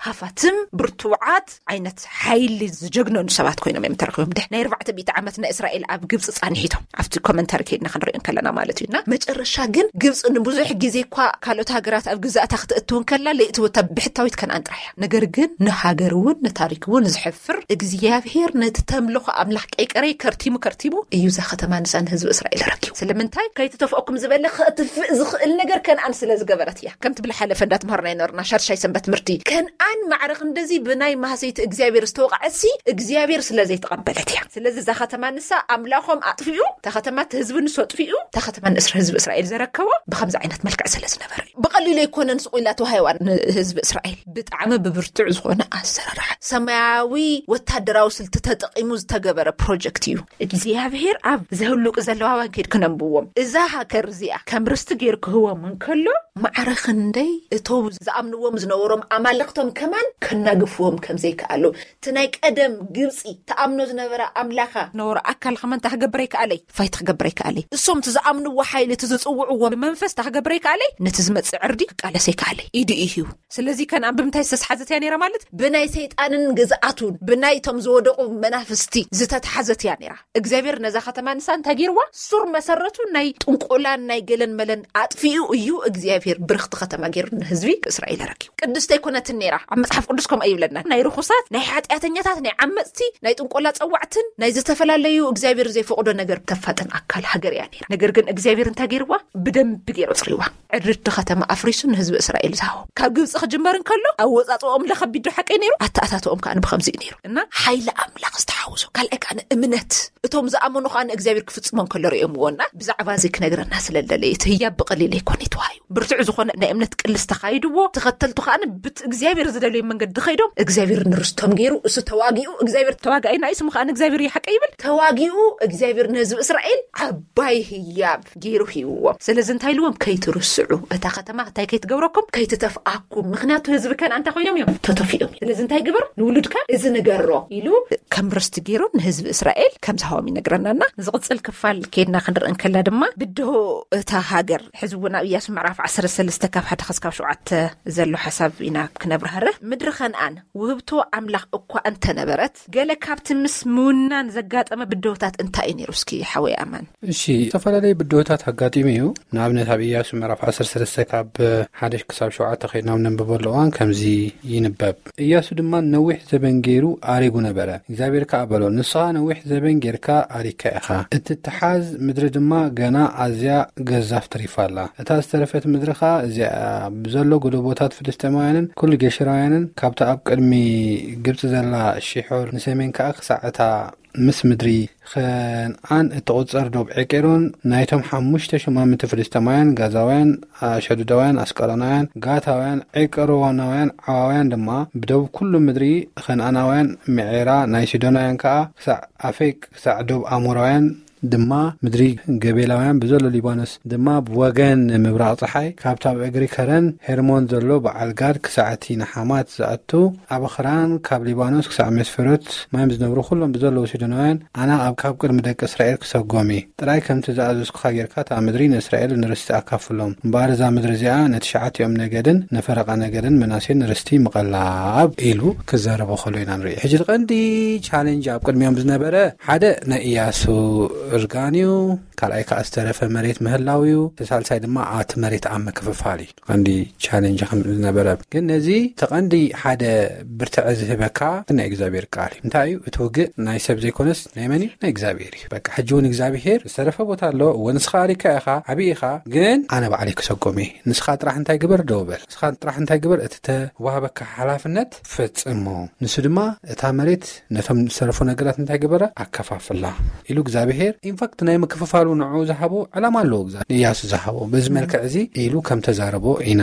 ሃፋትም ብርቱዓት ዓይነት ሓይሊ ዝጀግነኑ ሰባት ኮይኖም እዮም ተረኺቦም። ድሕ ናይ ኣርባዕተ ሚእቲ ዓመት ናይ እስራኤል ኣብ ግብፂ ፃንሒቶም ኣብቲ ኮመንታሪ ከይድና ክንሪኦ እንከለና ማለት እዩ። እና መጨረሻ ግን ግብፂ ንብዙሕ ግዜ እኳ ካልኦት ሃገራት ኣብ ግዛእታ ክትእትው እንከላ ለይእትወታ ብሕታዊት ከነኣን ጥራሕ እያ። ነገር ግን ንሃገር እውን ንታሪክ እውን ዝሕፍር እግዚኣብሔር ነቲ ተምልኾ ኣምላኽ ቀይቀረይ ከርቲሙ ከርቲሙ እዩ እዛ ከተማ ንሳ ንህዝቢ እስራኤል ረኪቡ። ስለምንታይ? ከይትተፍኦኩም ዝበለ ከጥፍእ ዝኽእል ነገር ከነኣን ስለ ዝገበረት እያ። ከምቲ ብልሓለፈ እንዳትምሃርና ይነበርና ሻድሻይ ሰንበት ትምህርቲ ከነኣን ማዕረ ክንደዚ ብናይ ማህሰይቲ እግዚኣብሔር ዝተወቕዐሲ እግዚኣብሔር ስለ ዘይተቐበለት እያ። ስለዚ እዛ ከተማ ንሳ ኣምላኾም ኣጥፊኡ፣ እታ ከተማ እቲ ህዝቢ ንሱ ኣጥፊኡ፣ እታ ከተማ ንእስራ ህዝቢ እስራኤል ዘረከቦ ብከምዚ ዓይነት መልክዕ ስለ ዝነበረ እዩ። ብቐሊሉ ኣይኮነን ስቕ ኢላ ተዋሂባ ንህዝቢ እስራኤል። ብጣዕሚ ብብርቱዕ ዝኾነ ኣሰራርሓ ሰማያዊ ወታደራዊ ስልቲ ተጠቒሙ ዝተገበረ ፕሮጀክት እዩ። እግዚኣብሔር ኣብ ዘህሉቅ ዘለዋውያን ከይድ ክነንብዎም እዛ ሃገር እዚኣ ከም ርስቲ ገይሩ ክህቦም እንከሎ ማዕረ ክንደይ እቶም ዝኣምንዎም ዝነበሮም ኣማልኽቶም ከማን ከናግፍዎም ከም ዘይከኣሉ፣ እቲ ናይ ቀደም ግብፂ ተኣምኖ ዝነበረ ኣምላኻ ነበረ ኣካል ከማን ታክገብረ ይከኣለይ፣ ፋይት ክገብረ ይከኣለይ። እሶም እቲ ዝኣምንዎ ሓይሊ፣ እቲ ዝፅውዕዎ መንፈስ ታክገብረ ይከኣለይ፣ ነቲ ዝመፅእ ዕርዲ ክቃለሰ ይከኣለይ። ኢዱ እዩ። ስለዚ ከነኣን ብምንታይ ዝተስሓዘት እያ ነይራ ማለት? ብናይ ሰይጣንን ግዝኣቱን፣ ብናይቶም ዝወደቑ መናፍስቲ ዝተትሓዘት እያ ነይራ። እግዚኣብሔር ነዛ ከተማ ንሳ እንታይ ገይርዋ? ሱር መሰረቱ ናይ ጥንቆላን ናይ ገለን መለን ኣጥፊኡ እዩ እግዚኣብሔር ብርኽቲ ከተማ ገይሩ ንህዝቢ እስራኤል ኣረኪቡ። ቅድስቲ ኣይኮነትን ነይራ። ኣብ መጽሓፍ ቅዱስ ከምኡ ይብለና። ናይ ርኹሳት፣ ናይ ሓጢኣተኛታት፣ ናይ ዓመጽቲ፣ ናይ ጥንቆላ ጸዋዕትን ናይ ዝተፈላለዩ እግዚኣብሔር ዘይፈቕዶ ነገር ተፋጥን ኣካል ሃገር እያ ነይራ። ነገር ግን እግዚኣብሔር እንታይ ገይርዋ? ብደንቢ ገይሩ ኣጽሪዋ። ዕርድቲ ከተማ ኣፍሪሱ ንህዝቢ እስራኤል ዝሃቦ። ካብ ግብጺ ክጅመር እንከሎ ኣወጻጽኦም ለኸቢድ ዶ ሓቀይ ነይሩ? ኣተኣታትኦም ከኣ ብኸምዚ እዩ ነይሩ። እና ሓይሊ ኣምላኽ ዝተሓወሶ። ካልኣይ ከኣ እምነት። እቶም ዝኣመኑ ከኣ ንእግዚኣብሔር ክፍጽሞ እንከሎ ርእዮምዎ። እና ብዛዕባ እዚ ክነግረና ስለ ዝደለየ፣ እቲ ህያብ ብቐሊል ኣይኮነ ተዋሂቡ። ብርቱዕ ዝኾነ ናይ እምነት ቅልስ ተኻይድዎ። ተኸተልቱ ከኣ ብቲ እግዚኣብሔር ዝደለዮ መንገዲ ኸይዶም፣ እግዚኣብሔር ንርስቶም ገይሩ፣ እሱ ተዋጊኡ፣ እግዚኣብሔር ተዋጋኢና እዩ፣ ስሙ ከኣ ንእግዚኣብሔር ይሓቀ ይብል። ተዋጊኡ እግዚኣብሔር ንህዝቢ እስራኤል ዓባይ ህያብ ገይሩ ሂብዎም። ስለዚ እንታይ ኢልዎም? ከይትርስዑ፣ እታ ከተማ እንታይ ከይትገብረኩም? ከይትተፍኣኩም። ምኽንያቱ ህዝቢ ከነኣን እንታይ ኮይኖም እዮም? ተተፊኦም እዮም። ስለዚ እንታይ ግበር? ንውሉድካ እዚ ንገሮ ኢሉ ከም ርስቲ ገይሩ ንህዝቢ እስራኤል ከም ዝሃቦም ይነግረናና። ዝቕጽል ክፋል ከይድና ክንርኢ እንከላ ድማ ብድሆ እታ ሃገር፣ ሕዚ እውን ኣብ ኢያሱ ምዕራፍ ዓሰርተ ሰለስተ ካብ ሓደ ክሳብ ሸውዓተ ዘሎ ሓሳብ ኢና ክነብርሃርህ። ምድሪ ከነኣን ውህብቶ ኣምላኽ እኳ እንተ እንተነበረት፣ ገለ ካብቲ ምስ ምውናን ዘጋጠመ ብድሆታት እንታይ እዩ ነይሩ? እስኪ ሓወይ ኣማን። እሺ፣ ዝተፈላለዩ ብድሆታት ኣጋጢሙ እዩ። ንኣብነት ኣብ ኢያሱ ምዕራፍ ዓሰርተ ሰለስተ ካብ ሓደ ክሳብ ሸውዓተ ከይድና ኣብ ነንብበሉ እዋን ከምዚ ይንበብ። ኢያሱ ድማ ነዊሕ ዘበን ገይሩ ኣሪጉ ነበረ። እግዚኣብሔር ከኣ በሎ፣ ንስኻ ነዊሕ ዘበን ጌርካ ኣሪግካ ኢኻ። እትትሓዝ ምድሪ ድማ ገና ኣዝያ ገዛፍ ተሪፋ ኣላ። እታ ዝተረፈት ምድሪ ኸኣ እዚኣ ብዘሎ ጎደቦታት ፍልስጤማውያንን ኩሉ ጌሽራውያንን ካብታ ኣብ ቅድሚ ግብጺ ዘላ ሺሖር ንሰሜን ከኣ ክሳዕ እታ ምስ ምድሪ ኸንኣን እትቑጸር ዶብ ዔቄሮን ናይቶም ሓሙሽተ ሹማምንቲ ፍልስጤማውያን፣ ጋዛውያን፣ ኣሸዱዳውያን፣ ኣስቀሎናውያን፣ ጋታውያን፣ ዔቄሮናውያን፣ ዓዋውያን ድማ ብደቡብ ኩሉ ምድሪ ኸንኣናውያን፣ ምዔራ ናይ ሲዶናውያን ከኣ ክሳዕ ኣፌቅ፣ ክሳዕ ዶብ ኣሞራውያን ድማ ምድሪ ገቤላውያን ብዘሎ ሊባኖስ ድማ ብወገን ምብራቕ ጸሓይ ካብታ ኣብ እግሪ ከረን ሄርሞን ዘሎ በዓል ጋድ ክሳዕ እቲ ንሓማት ዝኣቱ ኣበኽራን ካብ ሊባኖስ ክሳዕ መስፈሮት ማይም ዝነብሩ ኩሎም ብዘለዉ ሲዶናውያን ኣና ኣብ ካብ ቅድሚ ደቂ እስራኤል ክሰጎም እየ። ጥራይ ከምቲ ዝኣዘዝኩኻ ጌርካ እታ ምድሪ ንእስራኤል ንርስቲ ኣካፍሎም። እምበኣር እዛ ምድሪ እዚኣ ነትሽዓቲኦም ነገድን ንፈረቓ ነገድን ምናሴን ርስቲ ምቐላብ ኢሉ ክዛረቦ ከሎ ኢና ንርኢ። ሕጂ እቲ ቀንዲ ቻሌንጅ ኣብ ቅድሚኦም ዝነበረ ሓደ ናይ ኢያሱ እርጋን እዩ። ካልኣይ ከዓ ዝተረፈ መሬት ምህላው እዩ። እቲ ሳልሳይ ድማ ኣቲ መሬት ኣብ ምክፍፋል እዩ። ቀንዲ ቻሌንጅ ከም ዝነበረ ግን ነዚ ተቐንዲ ሓደ ብርትዐ ዝህበካ ናይ እግዚኣብሔር ቃል እዩ። እንታይ እዩ እቲ ውግእ? ናይ ሰብ ዘይኮነስ ናይ መን እዩ? ናይ እግዚኣብሔር እዩ። በቃ ሕጂ እውን እግዚኣብሔር ዝተረፈ ቦታ ኣሎ። እወ ንስኻ ኣሪካ ኢኻ፣ ዓብዪ ኢኻ፣ ግን ኣነ ባዕለይ ክሰጎም እየ። ንስኻ ጥራሕ እንታይ ግበር? ደው በል። ንስኻ ጥራሕ እንታይ ግበር? እቲ ተዋህበካ ሓላፍነት ፈጽሞ። ንሱ ድማ እታ መሬት ነቶም ዝተረፉ ነገራት እንታይ ገበራ? ኣከፋፍላ ኢሉ እግዚኣብሔር። ኢንፋክት ናይ ምክፍፋሉ ንዑ ዝሃቦ ዕላማ ኣለዎ። ንእያሱ ዝሃቦ በዚ መልክዕ እዚ ኢሉ ከም ተዛረቦ ኢና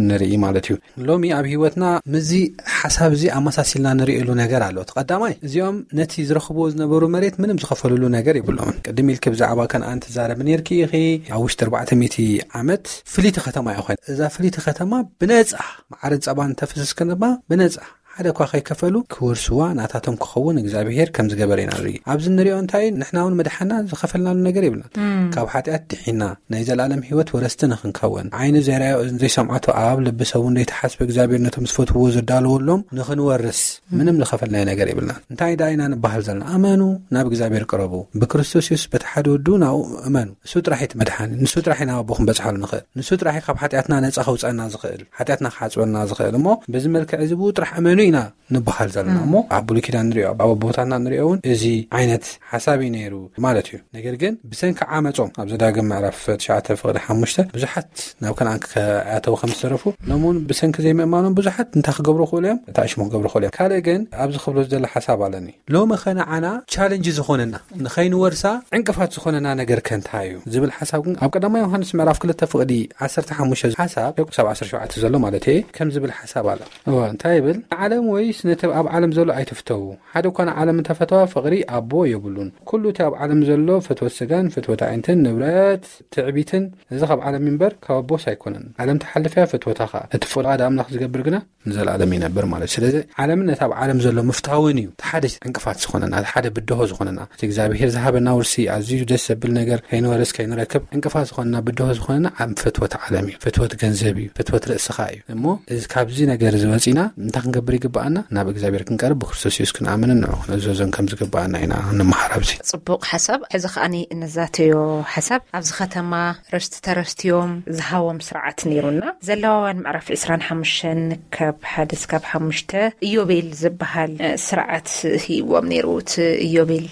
ንርኢ ማለት እዩ። ሎሚ ኣብ ህይወትና ምስዚ ሓሳብ እዚ ኣመሳሲልና ንርእየሉ ነገር ኣሎ። እቲ ቀዳማይ፣ እዚኦም ነቲ ዝረኽብዎ ዝነበሩ መሬት ምንም ዝኸፈልሉ ነገር የብሎምን። ቅድም ኢልኪ ብዛዕባ ከነኣን ትዛረቢ ነርኪ ኢኺ። ኣብ ውሽጢ ኣርባዕተ ሚእቲ ዓመት ፍልይቲ ከተማ እያ ኮይና። እዛ ፍልይቲ ከተማ ብነጻ፣ መዓርን ጸባን ተፍስስ ከተማ ብነጻ፣ ሓደ እኳ ከይከፈሉ ክወርስዋ ናታቶም ክኸውን እግዚኣብሔር ከም ዝገበረ ኢና ንርኢ። ኣብዚ ንሪኦ እንታይ እዩ? ንሕና እውን መድሓና ዝኸፈልናሉ ነገር የብልና። ካብ ሓጢኣት ድሒና ናይ ዘላለም ህይወት ወረስቲ ንኽንከውን፣ ዓይኒ ዘይረኣዮ እዝኒ ዘይሰምዓቶ ኣብ ልቢ ሰብ እውን ዘይተሓስበ እግዚኣብሔር ነቶም ዝፈትውዎ ዘዳለወሎም ንኽንወርስ ምንም ዝኸፈልናዮ ነገር የብልና። እንታይ ደኣ ኢና ንበሃል ዘለና? እመኑ፣ ናብ እግዚኣብሔር ቅረቡ፣ ብክርስቶስ የሱስ በቲ ሓደ ወዱ ናብኡ እመኑ። ንሱ ጥራሕ እዩ እቲ መድሓኒ። ንሱ ጥራሕ እዩ ናብ ኣቦ ክንበጽሓሉ ንኽእል። ንሱ ጥራሕ እዩ ካብ ሓጢኣትና ነጻ ከውፀና ዝኽእል፣ ሓጢኣትና ክሓፅበና ዝኽእል። እሞ በዚ መልክዕ እዚ ብኡ ጥራሕ እመኑ ኢና ንበሃል ዘለና። እሞ ኣብ ብሉይ ኪዳን ንሪኦ፣ ኣብ ኣቦታትና ንሪኦ እውን እዚ ዓይነት ሓሳብ እዩ ነይሩ ማለት እዩ። ነገር ግን ብሰንኪ ዓመፆም ኣብ ዘዳግም ምዕራፍ ትሽዓተ ፍቕዲ ሓሙሽተ ብዙሓት ናብ ከነኣን ከኣተው ከም ዝተረፉ፣ ሎም እውን ብሰንኪ ዘይምእማኖም ብዙሓት እንታይ ክገብሩ ክእሉ እዮም? እታ እሽሞ ክገብሩ ክእሉ እዮም። ካልእ ግን ኣብዚ ክብሎ ዝደለ ሓሳብ ኣለኒ። ሎሚ ኸ ንዓና ቻለንጅ ዝኾነና፣ ንኸይንወርሳ ዕንቅፋት ዝኾነና ነገር ከ እንታይ እዩ ዝብል ሓሳብ ግን ኣብ ቀዳማይ ዮሃንስ ምዕራፍ ክልተ ፍቕዲ ዓሰርተ ሓሙሽተ ሓሳብ ክሳብ ዓሰርተ ሸውዓተ ዘሎ ማለት እየ ከም ዝብል ሓሳብ ኣሎ። እወ፣ እንታይ ይብል? ንዓለም ወይስ ነቲ ኣብ ዓለም ዘሎ ኣይትፍተዉ። ሓደ እኳ ንዓለም እንተፈተዋ ፍቕሪ ኣቦ የብሉን። ኩሉ እቲ ኣብ ዓለም ዘሎ ፍትወት ስጋን ፍትወት ኣዒንትን ንብረት ትዕቢትን፣ እዚ ካብ ዓለም እምበር ካብ ኣቦስ ኣይኮነን። ዓለም ትሓልፍ እያ፣ ፍትወታ ኸዓ። እቲ ፍቓድ ኣምላኽ ዝገብር ግና ንዘለኣለም ይነብር ማለት እዩ። ስለዚ ዓለምን ነቲ ኣብ ዓለም ዘሎ ምፍታውን እዩ እቲ ሓደ ዕንቅፋት ዝኾነና፣ እቲ ሓደ ብድሆ ዝኾነና። እቲ እግዚኣብሔር ዝሃበና ውርሲ ኣዝዩ ደስ ዘብል ነገር ከይንወርስ ከይንረክብ ዕንቅፋት ዝኾነና፣ ብድሆ ዝኾነና ኣብ ፍትወት ዓለም እዩ። ፍትወት ገንዘብ እዩ፣ ፍትወት ርእስኻ እዩ። እሞ እዚ ካብዚ ነገር እዚ ወፂና እንታይ ክንገብር ይግብኣና? ናብ እግዚኣብሔር ክንቀርብ፣ ብክርስቶስ የሱስ ክንኣምንን ንዑ ክንእዘዞን ከም ዝግብኣና ኢና እንመሃር ኣብዚ። ጽቡቕ ሓሳብ። ሕዚ ከኣኒ እንዛተዮ ሓሳብ ኣብዚ ከተማ ርስቲ ተረስትዮም ዝሃቦም ስርዓት ነይሩና። ዘለዋውያን ምዕራፍ ዕስራን ሓሙሽተን ካብ ሓደ እስካብ ሓሙሽተ ኢዮቤል ዝበሃል፣ እ፣ ስርዓት ሂብዎም ነይሩ። እቲ ኢዮቤል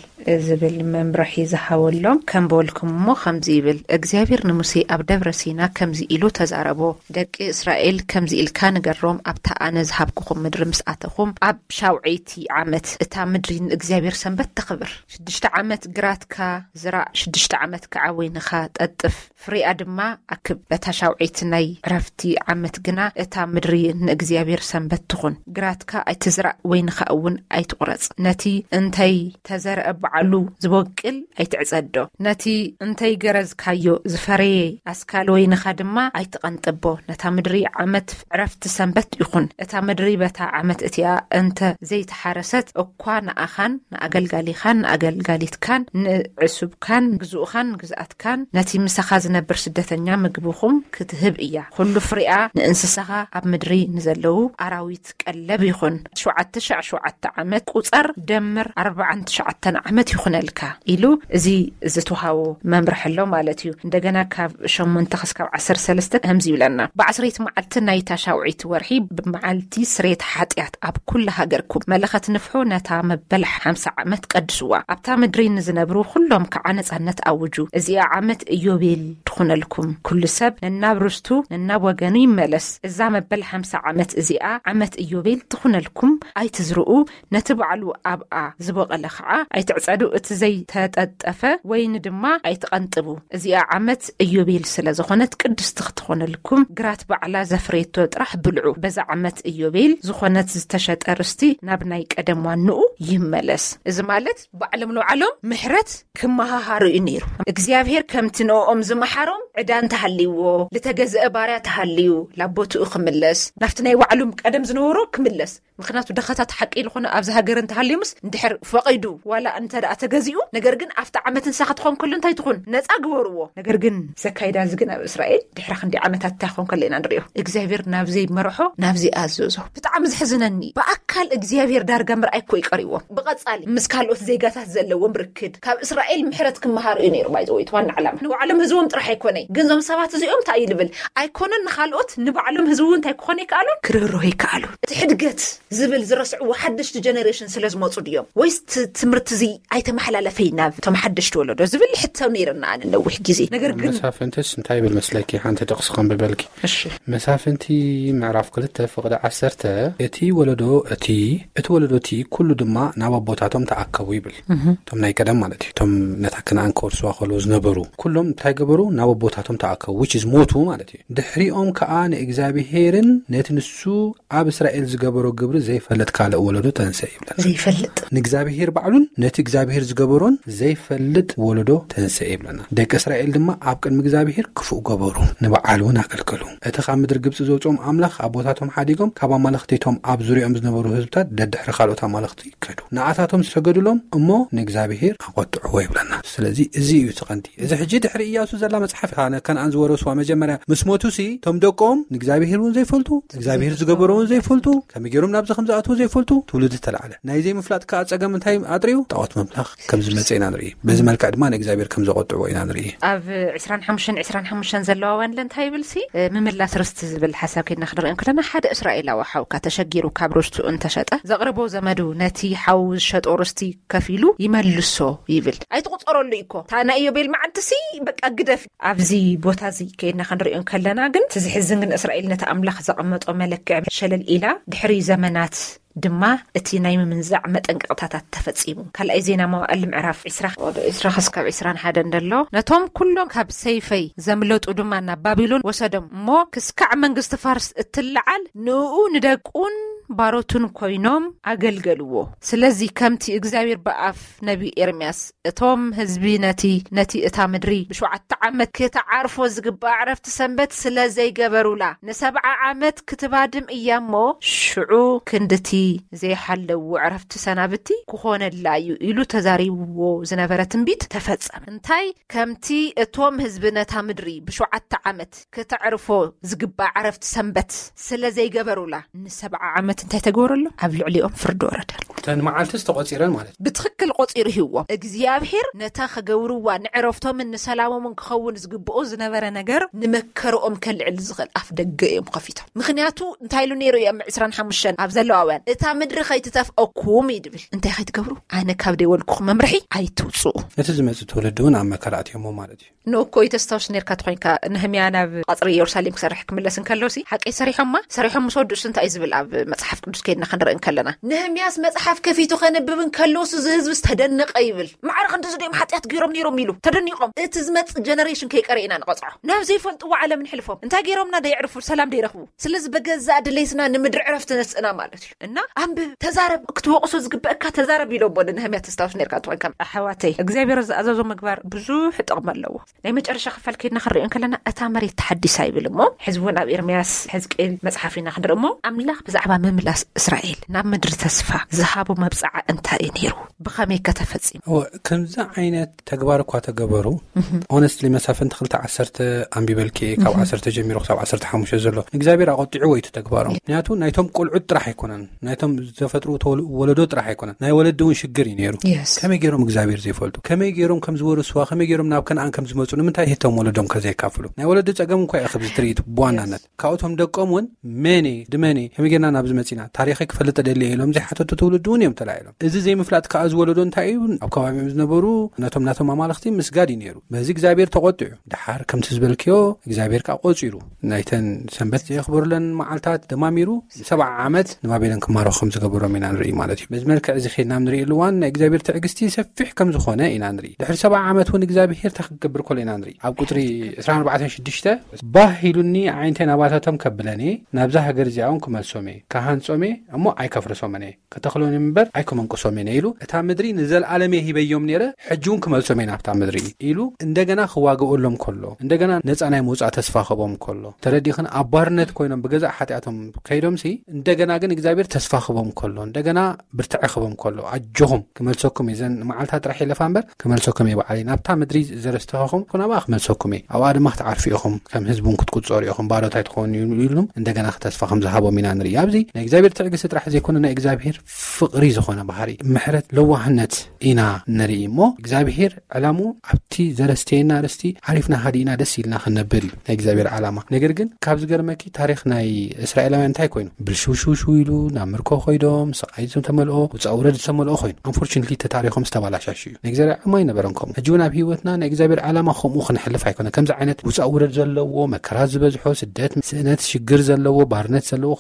ዝብል መምርሒ ዝሃበሎም ከም በልኩም እሞ ከምዚ ይብል፣ እግዚኣብሔር ንሙሴ ኣብ ደብረ ሲና ከምዚ ኢሉ ተዛረቦ፣ ደቂ እስራኤል ከምዚ ኢልካ ንገሮም፣ ኣብታ ኣነ ዝሃብኩኹም ምድሪ ምስ ኣተኹም ኣብ ሻውዐይቲ ዓመት እታ ምድሪ ንእግዚኣብሔር ሰንበት ተኽብር። ሽዱሽተ ዓመት ግራትካ ዝራእ፣ ሽዱሽተ ዓመት ከዓ ወይንኻ ጠጥፍ፣ ፍሬኣ ድማ ኣክብ። በታ ሻውዐይቲ ናይ ዕረፍቲ ዓመት ግና እታ ምድሪ ንእግዚኣብሔር ሰንበት ትኹን። ግራትካ ኣይትዝራእ፣ ወይንኻ እውን ኣይትቑረጽ። ነቲ እንተይ ተዘርአ ባዕሉ ዝበቅል ኣይትዕጸዶ። ነቲ እንተይ ገረዝካዮ ዝፈረየ ኣስካል ወይንኻ ድማ ኣይትቐንጥቦ። ነታ ምድሪ ዓመት ዕረፍቲ ሰንበት ይኹን። እታ ምድሪ በታ ዓመት እቲኣ እንተ ዘይተሓረሰት እኳ፣ ንኣኻን ንኣገልጋሊኻን ንኣገልጋሊትካን ንዕሱብካን ግዙእኻን ግዝኣትካን፣ ነቲ ምሳኻ ዝነብር ስደተኛ ምግብኹም ክትህብ እያ። ኩሉ ፍሬኣ ንእንስሳኻ፣ ኣብ ምድሪ ንዘለዉ ኣራዊት ቀለብ ይኹን። ሸውዓተ ሻዕ ሸውዓተ ዓመት ቁጸር፣ ደምር ኣርባዓን ትሽዓተን ዓመት ይኹነልካ፣ ኢሉ እዚ ዝተውሃቦ መምርሒ ኣሎ ማለት እዩ። እንደገና ካብ ሸሞንተ ክስካብ ዓሰርተ ሰለስተ ከምዚ ይብለና። ብዓስረይቲ መዓልቲ ናይታ ሻውዒት ወርሒ፣ ብመዓልቲ ስሬት ሓጢኣት ኣብ ኩሉ ሃገርኩም መለኸት ንፍሑ፣ ነታ መበል ሓምሳ ዓመት ቀድስዋ። ኣብታ ምድሪ ንዝነብሩ ኩሎም ከዓ ነጻነት ኣውጁ። እዚኣ ዓመት ኢዮቤል ትኹነልኩም። ኩሉ ሰብ ነናብ ርስቱ ነናብ ወገኑ ይመለስ። እዛ መበል ሓምሳ ዓመት እዚኣ ዓመት ኢዮቤል ትኹነልኩም። ኣይትዝርኡ፣ ነቲ ባዕሉ ኣብኣ ዝበቐለ ከዓ ኣይትዕጸዱ። እቲ ዘይተጠጠፈ ወይኒ ድማ ኣይትቐንጥቡ። እዚኣ ዓመት ኢዮቤል ስለ ዝኾነት ቅድስቲ ክትኾነልኩም፣ ግራት ባዕላ ዘፍረየቶ ጥራሕ ብልዑ። በዛ ዓመት ኢዮቤል ዝኾነት ዝተሸጠ ርስቲ ናብ ናይ ቀደም ዋንኡ ይመለስ። እዚ ማለት ባዕሎም ንባዕሎም ምሕረት ክመሃሃሩ እዩ ነይሩ። እግዚኣብሔር ከምቲ ንኦም ዝመሓሮም ዕዳ እንተሃልይዎ፣ ዝተገዝአ ባርያ ተሃልዩ፣ ላቦትኡ ክምለስ፣ ናብቲ ናይ ባዕሎም ቀደም ዝነበሮ ክምለስ። ምኽንያቱ ደኸታት ሓቂ ዝኾነ ኣብዚ ሃገር እንተሃልዩምስ፣ እንድሕር ፈቒዱ ዋላ እንተ ደኣ ተገዚኡ፣ ነገር ግን ኣብቲ ዓመት ንሳ ክትኾን ከሎ እንታይ ትኹን? ነጻ ግበርዎ። ነገር ግን ዘካይዳ እዚ ግን ኣብ እስራኤል ድሕሪ ክንዲ ዓመታት እንታይ ክኾን ከሎ ኢና ንሪኦ። እግዚኣብሔር ናብ ዘይመርሖ፣ ናብ ዘይኣዘዞ። ብጣዕሚ ዘሕዝነኒ፣ ብኣካል እግዚኣብሔር ዳርጋ ምርኣይ እኮ እዩ ቀሪዎም። ብቐጻሊ ምስ ካልኦት ዜጋታት ዘለዎም ርክድ፣ ካብ እስራኤል ምሕረት ክመሃሩ እዩ ነይሩ። ባይዘወይ፣ እቲ ዋና ዕላማ ንባዕሎም ህዝቦም ጥራሕ ኣይኮነይ፣ ግን እዞም ሰባት እዚኦም እንታይ እዩ ልብል? ኣይኮነን ንኻልኦት፣ ንባዕሎም ህዝቢ እውን እንታይ ክኾኑ ይከኣሉን? ክርህርሁ ይከኣሉ። እቲ ሕድገት ዝብል ዝረስዕዎ ሓደሽቲ ጀነሬሽን ስለ ዝመጹ ድዮም? ወይስ እቲ ትምህርቲ እዚ ኣይተመሓላለፈይ ናብ እቶም ሓደሽቲ ወለዶ ዝብል ሕቶ ነይርና ኣነ ነዊሕ ግዜ። ነገር ግን መሳፍንትስ እንታይ ይብል መስለኪ? ሓንቲ ጥቕሲ ከንብበልኪ። እሺ። መሳፍንቲ ምዕራፍ ክልተ ፍቕዲ ዓሰርተ፣ እቲ ወለዶ እቲ፣ እቲ ወለዶ እቲ ኩሉ ድማ ናብ ኣቦታቶም ተኣከቡ ይብል። እቶም ናይ ቀደም ማለት እዩ። እቶም ነታ ከነኣን ክወርስዋ ከለዉ ዝነበሩ ኩሎም እንታይ ገበሩ? ናብ ኣቦታቶም ተኣከቡ፣ which is ሞቱ ማለት እዩ። ድሕሪኦም ከኣ ንእግዚኣብሔርን ነቲ ንሱ ኣብ እስራኤል ዝገበሮ ግብሪ ዘይፈልጥ ካልእ ወለዶ ተንስአ ይብለና። ዘይፈልጥ። ንእግዚኣብሔር ባዕሉን ነቲ እግዚኣብሔር ዝገበሮን ዘይፈልጥ ወለዶ ተንስአ ይብለና። ደቂ እስራኤል ድማ ኣብ ቅድሚ እግዚኣብሔር ክፉእ ገበሩ፣ ንበዓል እውን ኣገልገሉ። እቲ ካብ ምድሪ ግብጺ ዘውጽኦም ኣምላኽ ኣቦታቶም ሓዲጎም፣ ካብ ኣማልኽቲቶም ኣብ ዙርያኦም ዝነበሩ ህዝብታት ደድሕሪ ካልኦት ኣማልኽቲ ከዱ። ንኣታቶም ሰገዱሎም እሞ ንእግዚኣብሔር ኣቖጥዕዎ ይብለና። ስለዚ እዚ እዩ እቲ ቀንዲ። እዚ ሕጂ ድሕሪ ኢያሱ ዘላ መጽሓፍ፣ ከነኣን ዝወረስዋ መጀመርያ ምስ ሞቱሲ፣ እቶም ደቆም ንእግዚኣብሔር እውን ዘይፈልጡ፣ እግዚኣብሔር ዝገበሮ እውን ዘይፈልጡ፣ ከመይ ገይሮም ናብዚ ከም ዝኣትዉ ዘይፈልጡ ትውልዲ ተላዕለ። ናይ ዘይምፍላጥ ከኣ ጸገም እንታይ ኣጥርዩ? ጣዖት ምምላኽ ከም ዝመጸ ኢና ንርኢ። በዚ መልክዕ ድማ ንእግዚኣብሔር ከም ዘቖጥዕዎ ኢና ንርኢ። ኣብ ዕስራን ሓሙሽተን ዕስራን ሓሙሽተን ዘለዋ ወንለ እንታይ ይብልሲ? እ፣ ምምላስ ርስቲ ዝብል ሓሳብ ከይድና ክንርኢ እንከለና፣ ሓደ እስራኤላዊ ሓውካ ተሸጊሩ ካብ ርስቱ እንተሸጠ፣ ዘቕርቦ ዘመዱ ነቲ ሓው ዝሸጦ ርስቲ ከፊሉ ይመልሶ ይብል። ኣይትቑጸረሉ እኮ። እታ ናይ ኢዮቤል መዓልቲ ሲ በቃ ግደፍ። ኣብዚ ቦታ እዚ ከይድና ክንሪኦ እንከለና ግን፣ እቲ ዝሕዝን ግን እስራኤል ነቲ ኣምላኽ ዘቐመጦ መለክዕ ሸለል ኢላ፣ ድሕሪ ዘመናት ድማ እቲ ናይ ምምንዛዕ መጠንቀቕታታት ተፈጺሙ። ካልኣይ ዜና መዋእል ምዕራፍ ዕስራ፣ ወደ ዕስራ ክስካብ ዕስራን ሓደን ደሎ። ነቶም ኩሎም ካብ ሰይፈይ ዘምለጡ ድማ ናብ ባቢሎን ወሰዶም እሞ፣ ክስካዕ መንግስቲ ፋርስ እትለዓል ንኡ ንደቁን ባሮቱን ኮይኖም ኣገልገልዎ። ስለዚ ከምቲ እግዚኣብሔር ብኣፍ ነቢ ኤርምያስ፣ እቶም ህዝቢ ነቲ፣ ነቲ እታ ምድሪ ብሸውዓተ ዓመት ክትዓርፎ ዝግባእ ዕረፍቲ ሰንበት ስለ ዘይገበሩላ፣ ንሰብዓ ዓመት ክትባድም እያ እሞ፣ ሽዑ ክንድቲ ዘይሓለዎ ዕረፍቲ ሰናብቲ ክኾነላ እዩ ኢሉ ተዛሪብዎ ዝነበረ ትንቢት ተፈጸመ። እንታይ? ከምቲ እቶም ህዝቢ ነታ ምድሪ ብሸውዓተ ዓመት ክተዕርፎ ዝግባእ ዕረፍቲ ሰንበት ስለ ዘይገበሩላ፣ ንሰብዓ ዓመት እንታይ ተገበረሎም? ኣብ ልዕሊኦም ፍርዲ ወረደ። እተን መዓልትስ ተቖጺረን ማለት እዩ። ብትኽክል ቆጺሩ ሂብዎም። እግዚኣብሔር ነታ ክገብርዋ ንዕረፍቶምን ንሰላሞምን ክኸውን ዝግብኦ ዝነበረ ነገር ንመከርኦም ከልዕል ዝኽእል ኣፍ ደገ እዮም ከፊቶም። ምኽንያቱ እንታይ ኢሉ ነይሩ እዩ? ኣብ ዕስራን ሓሙሽተን ኣብ ዘለዋውያን፣ "እታ ምድሪ ከይትተፍኦኩም" እዩ ድብል። እንታይ ከይትገብሩ? ኣነ ካብ ደይወልኩኹም መምርሒ ኣይትውፅኡ። እቲ ዝመጽእ ትውልዲ እውን ኣብ መከራ ኣትዮሞ ማለት እዩ። ንእኮ ተስታውስ ነርካ ተኾይንካ፣ ነህምያ ናብ ቐጽሪ ኢየሩሳሌም ክሰርሕ ክምለስ እንከሎሲ፣ ሓቀይ ሰሪሖማ፣ ሰሪሖም ምስ ወድኡስ እንታይ እዩ ዝብል ኣብ መጽሓፍ ቅዱስ ከይድና ክንርኢ እንከለና? ነህምያስ መጽሓፍ ከፊቱ ከንብብ እንከሎስ፣ እዚ ህዝብስ ተደነቐ ይብል። ማዕረ ክንድዚ ዲኦም ሓጢኣት ገይሮም ነይሮም ኢሉ ተደኒቖም። እቲ ዝመጽእ ጀነሬሽን ከይቀረ ኢና ንቐጽዖ። ናብ ዘይፈልጥዎ ዓለም ንሕልፎም። እንታይ ገይሮምና ደየዕርፉ፣ ሰላም ደይረኽቡ። ስለዚ በገዛእ ድሌትና ንምድሪ ዕረፍቲ ነስእና ማለት እዩ። እና ኣንብብ፣ ተዛረብ፣ ክትወቕሶ ዝግበእካ ተዛረብ ኢሎ እሞ ንነህምያ ተስታውስ ነርካ ትኾን ከም ኣሕዋተይ። እግዚኣብሔር ዝኣዘዞ ምግባር ብዙሕ ጥቕሚ ኣለዎ። ናይ መጨረሻ ክፋል ከይድና ክንሪኦ እንከለና እታ መሬት ተሓዲሳ ይብል እሞ፣ ሕዚ እውን ኣብ ኤርምያስ፣ ሕዝቅኤል መጽሓፍ ኢና ክንርኢ እሞ፣ ኣምላኽ ብዛዕባ ምምላስ እስራኤል ናብ ምድሪ ተስፋ ዝሃቦ መብጽዓ እንታይ እዩ ነይሩ? ብኸመይ ከተፈጺሙ? እወ፣ ከምዚ ዓይነት ተግባር እኳ ተገበሩ። ኦነስትሊ መሳፍንቲ ክልተ ዓሰርተ ኣንቢበልኪ፣ ካብ ዓሰርተ ጀሚሩ ክሳብ ዓሰርተ ሓሙሽተ ዘሎ እግዚኣብሔር ኣቆጢዑ ወይ ተግባሮም። ምክንያቱ ናይቶም ቆልዑት ጥራሕ ኣይኮነን፣ ናይቶም ዝተፈጥሩ ተወል-፣ ወለዶ ጥራሕ ኣይኮነን፣ ናይ ወለዲ እውን ሽግር እዩ ነይሩ። ከመይ ገይሮም እግዚኣብሔር ዘይፈልጡ፣ ከመይ ገይሮም ከም ዝወርስዋ፣ ከመይ ገይሮም ናብ ከነኣን ከም ዝመፁ፣ ንምንታይ ህቶም ወለዶም ከዘይካፍሉ? ናይ ወለዲ ፀገም እንኳ እዩ ክብዚ ትርኢት ብዋናነት ካብኡቶም ደቆም እውን መኔ ድመኔ ከመይ ጌርና ናብዚ መፂና፣ ታሪኸይ ክፈልጥ ደሊ ኢሎም ዘይሓተቱ ትውልዲ እውን እዮም ተላዒሎም። እዚ ዘይምፍላጥ ከዓ ዝወለዶ እንታይ እዩ? ኣብ ከባቢኦም ዝነበሩ ነቶም ናቶም ኣማልኽቲ ምስጋድ እዩ ነይሩ። በዚ እግዚኣብሔር ተቆጢዑ። ድሓር ከምቲ ዝበልክዮ እግዚኣብሔር ከዓ ቆፂሩ፣ ናይተን ሰንበት ዘየኽበሩለን መዓልታት ደማሚሩ ሰብዓ ዓመት ንባቢሎን ክማረኹ ከም ዝገበሮም ኢና ንርኢ ማለት እዩ። በዚ መልክዕ እዚ ኸድና ንርኢ እዋን ናይ እግዚኣብሔር ትዕግስቲ ሰፊሕ ከም ዝኾነ ኢና ንርኢ። ድሕሪ ሰብዓ ዓመት እውን እግዚኣብሔር እንታይ ክገብር ከሎ ኢና ንርኢ። ኣብ ቁፅሪ ዕስራን ኣርባዕተን ሽዱሽተ፣ ባህ ኢሉኒ ኣዒንተይ ናባታቶም ከብለኒ፣ ናብዛ ሃገር እዚኣ እውን ክመልሶም እየ፣ ክሃንጾም እየ እሞ ኣይከፍርሶምን እየ፣ ከተኽሎን እምበር ኣይከመንቅሶምን እየ ኢሉ፣ እታ ምድሪ ንዘለኣለም እየ ሂበዮም ነይረ፣ ሕጂ እውን ክመልሶም እየ ናብታ ምድሪ ኢሉ፣ እንደገና ክዋግኦሎም ከሎ፣ እንደገና ነፃ ናይ ምውፃእ ተስፋ ክህቦም ከሎ፣ ተረዲኽን ኣብ ባርነት ኮይኖም ብገዛእ ሓጢኣቶም ከይዶምሲ፣ እንደገና ግን እግዚኣብሔር ተስፋ ክህቦም ከሎ፣ እንደገና ብርትዐ ክህቦም ከሎ፣ ኣጆኹም ክመልሰኩም እየ፣ ዘን መዓልታት ጥራሕ ይለፋ እምበር ክመልሰኩም እየ፣ ባዕለይ ናብታ ምድሪ ዘረስተኸኹም ኩናባ ክመልሰኩም እየ፣ ኣብኣ ድማ ክትዓርፉ ኢኹም፣ ከም ህዝቡን ክትቁጸሩ ኢኹም፣ ባዶት ኣይትኾኑ ኢሉም እንደገና ተስፋ ከም ዝሃቦም ኢና ንርኢ። ኣብዚ ናይ እግዚኣብሔር ትዕግስቲ ጥራሕ ዘይኮነ ናይ እግዚኣብሔር ፍቕሪ ዝኾነ ባህሪ፣ ምሕረት፣ ለዋህነት ኢና ንርኢ እሞ፣ እግዚኣብሔር ዕላሙ ኣብቲ ዘረስተየና ርስቲ ዓሪፍና ሃዲእና ደስ ኢልና ክንነብር እዩ ናይ እግዚኣብሔር ዓላማ። ነገር ግን ካብ ዝገርመኪ ታሪኽ ናይ እስራኤላውያን እንታይ ኮይኑ? ብልሽውሽውሽው ኢሉ ናብ ምርኮ ኮይዶም፣ ስቓይ ዝተመልኦ፣ ውፃእ ውረድ ዝተመልኦ ኮይኑ። ኣንፎርቹኔትሊ ተታሪኾም ዝተባላሻሽ እዩ። ናይ እግዚኣብሔር ዓላማ ኣይነበረን ከምኡ። ሕጂ እውን ኣብ ህይወትና ናይ እግዚኣብሔር ዓላማ ከምኡ ክንሕልፍ ኣይኮነ። ከምዚ ዓይነት ውፃእ ውረድ ዘለዎ፣ መከራ ዝበዝሖ፣ ስደት፣ ስእነት፣ ሽግር ዘለዎ፣ ባርነት ዘለዎ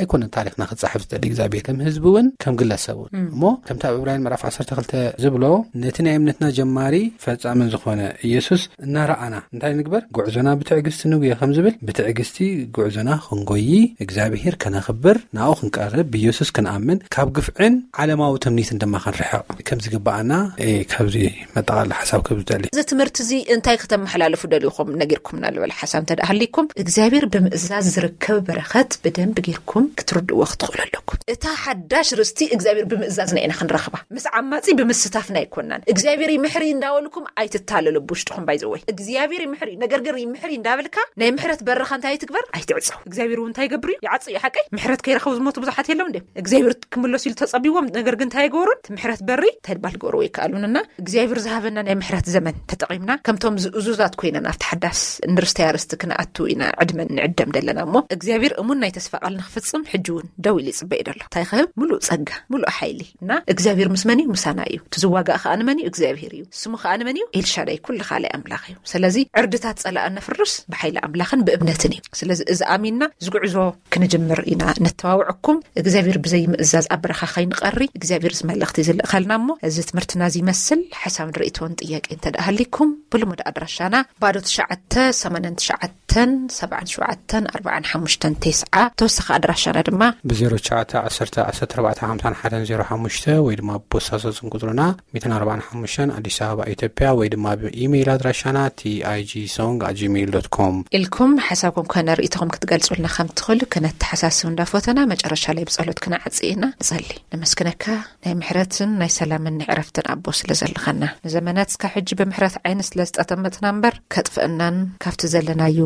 ኣይኮነን ታሪኽና ክጻሓፍ ዝደሊ እግዚኣብሔር። ከም ህዝቢ እውን ከም ግለሰብ እውን። እሞ ከምቲ ኣብ ዕብራውያን ምዕራፍ ዓሰርተ ክልተ ዝብሎ፣ ነቲ ናይ እምነትና ጀማሪ ፈጻምን ዝኾነ ኢየሱስ እናረኣና እንታይ ንግበር? ጉዕዞና ብትዕግስቲ ንጉየ ከም ዝብል፣ ብትዕግስቲ ጉዕዞና ክንጎይ እግዚኣብሔር ከነኽብር፣ ናኡ ክንቀርብ፣ ብኢየሱስ ክንኣምን፣ ካብ ግፍዕን ዓለማዊ ትምኒትን ድማ ክንርሕቕ ከም ዝግብኣና፣ እ፣ ካብዚ መጠቓለሊ ሓሳብ ከም ዝደሊ። እዚ ትምህርቲ እዚ እንታይ ከተመሓላልፉ ደሊኹም ነጊርኩምና ዝበለ ሓሳብ እንተ ደኣ ሃሊኩም፣ እግዚኣብሔር ብምእዛዝ ዝርከብ በረኸት ብደንብ ጌርኩም ክትርድእዎ ክትኽእሉ ኣለኩም። እታ ሓዳሽ ርስቲ እግዚኣብሔር ብምእዛዝና ኢና ክንረኽባ። ምስ ዓማጺ ብምስታፍና ኣይኮናን። እግዚኣብሔር ይምሕር እዩ እንዳበልኩም ኣይትታለሉ ብውሽጥኹም ባይዘወይ። እግዚኣብሔር ይምሕር እዩ፣ ነገር ግን ይምሕር እዩ እንዳበልካ ናይ ምሕረት በርኻ እንታይ ትግበር? ኣይትዕጸው። እግዚኣብሔር እውን እንታይ ይገብር እዩ? ይዓጽ እዩ ሓቀይ። ምሕረት ከይረኸቡ ዝሞቱ ብዙሓት የለውን ድዮም? እግዚኣብሔር ክምለሱ ኢሉ ተጸቢዎም፣ ነገር ግን እንታይ ይገብሩን? እቲ ምሕረት በሪ እንታይ ድባል ክገብርዎ ይከኣሉንና እግዚኣብሔር ዝሃበና ናይ ምሕረት ዘመን ተጠቒምና ከምቶም ዝእዙዛት ኮይና ናብቲ ሓዳስ ንርስተያ ርስቲ ክንኣቱ ኢና ዕድመን ንዕደም ደለና እሞ እግዚኣብሔር እሙን ናይ ተስፋ ቃል ንኽፍጽም ሕጂ እውን ደው ኢሉ ይጽበ እዩ ደሎ። እንታይ ክህብ? ምሉእ ጸጋ፣ ምሉእ ሓይሊ። እና እግዚኣብሔር ምስ መን እዩ? ምሳና እዩ። እቲ ዝዋጋእ ከኣ ንመን እዩ? እግዚኣብሔር እዩ። ስሙ ከኣ ንመን እዩ? ኤልሻዳይ ኩሉ ካልእ ኣምላኽ እዩ። ስለዚ ዕርድታት ጸላእን ነፍርስ ብሓይሊ ኣምላኽን ብእምነትን እዩ። ስለዚ እዚ ኣሚንና እዚ ጉዕዞ ክንጅምር ኢና ነተዋውዐኩም። እግዚኣብሔር ብዘይ ምእዛዝ ኣብ በረኻ ከይንቐሪ እግዚኣብሔር እዚ መልእኽቲ ዝልእኸልና እሞ እዚ ትምህርትና እዚ ይመስል። ሓሳብ ንርእይቶን ጥያቄ እንተ ደኣ ሃሊኩም ብልሙድ ኣድራሻና ባዶ ትሽዓተ ሰማንያን ትሽዓተን ሰብዓን ሸውዓተን ኣርባዓን ሓሙሽተን ተስዓ። ተወሳኺ ኣድራሻና ድማ ብ ዜሮ ትሽዓተ ዓሰርተ ዓሰርተ ኣርባዕተ ሓምሳን ሓደን ዜሮ ሓሙሽተ ወይ ድማ ብቦሳሶ ስም ቁጽርና ሚእትን ኣርባዓን ሓሙሽተን ኣዲስ ኣበባ ኢትዮጵያ ወይ ድማ ብኢሜይል ኣድራሻና ቲኣይጂ ሶንግ ኣት ጂሜይል ዶት ኮም ኢልኩም ሓሳብኩም ኮነ ርእይቶኹም ክትገልጹልና ከም ትኽእሉ ክነተሓሳስብ እንዳፈተና መጨረሻ ላይ ብጸሎት ክነዓጽእ ኢና። ንጸሊ። ነመስግነካ ናይ ምሕረትን ናይ ሰላምን ናይ ዕረፍትን ኣቦ ስለ ዘለኻና። ንዘመናት እስካብ ሕጂ ብምሕረት ዓይኒ ስለ ዝጠመትና እምበር ከጥፍአናን ካብቲ ዘለናዮ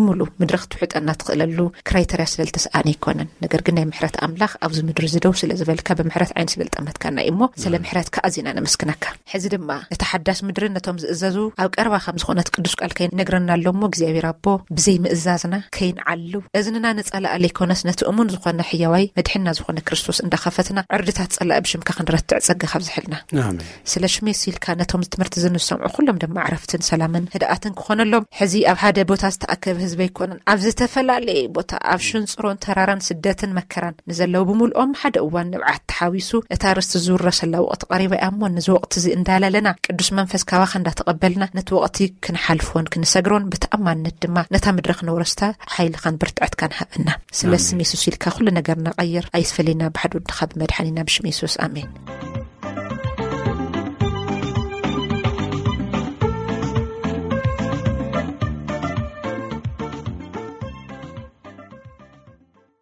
ሙሉ ምድሪ ክትውሕጠና ትኽእለሉ ክራይተርያ ስለ ዝተስኣነ ኣይኮነን። ነገር ግን ናይ ምሕረት ኣምላኽ ኣብዚ ምድሪ እዚ ደው ስለ ዝበልካ ብምሕረት ዓይኒ ስለ ዝጠመትካና እዩ እሞ ስለ ምሕረትካ ኣዚና ነመስግነካ። ሕዚ ድማ እታ ሓዳስ ምድርን ነቶም ዝእዘዙ ኣብ ቀረባ ከም ዝኾነት ቅዱስ ቃልካ ይነግረና ኣሎ እሞ እግዚኣብሔር ኣቦ ብዘይ ምእዛዝና ከይንዓሉ እዝንና ንጸላእ ለይኮነስ ነቲ እሙን ዝኾነ ሕያዋይ መድሕንና ዝኾነ ክርስቶስ እንዳኸፈትና ዕርድታት ጸላኢ ብሽምካ ክንረትዕ ጸጋ ካብዝሐልና። ኣሜን። ስለ ሽመይ ሲልካ ነቶም ትምህርቲ ዝንሰምዑ ኩሎም ድማ ዕረፍትን ሰላምን ህድኣትን ክኾነሎም። ሕዚ ኣብ ሓደ ቦታ ዝተኣከበ ህዝቢ ኣይኮነን። ኣብ ዝተፈላለየ ቦታ፣ ኣብ ሽንፅሮን ተራራን ስደትን መከራን ንዘለዉ ብምልኦም ሓደ እዋን ንብዓት ተሓዊሱ፣ እታ ርስቲ ዝውረሰላ ወቕቲ ቀሪባ እያ እሞ፣ ነዚ ወቕቲ እዚ እንዳለለና፣ ቅዱስ መንፈስ ካባኻ እንዳተቐበልና፣ ነቲ ወቕቲ ክንሓልፎን ክንሰግሮን፣ ብተኣማንነት ድማ ነታ ምድሪ ክነውረስታ ሓይልኻን ብርትዐትካን ሃበና። ስለ ኣሜን። ስም የሱስ ኢልካ ኩሉ ነገርና ቀይር። ኣይትፈለየና፣ ብሓደ ወድኻ ብመድሓኒና ብሽም የሱስ፣ ኣሜን።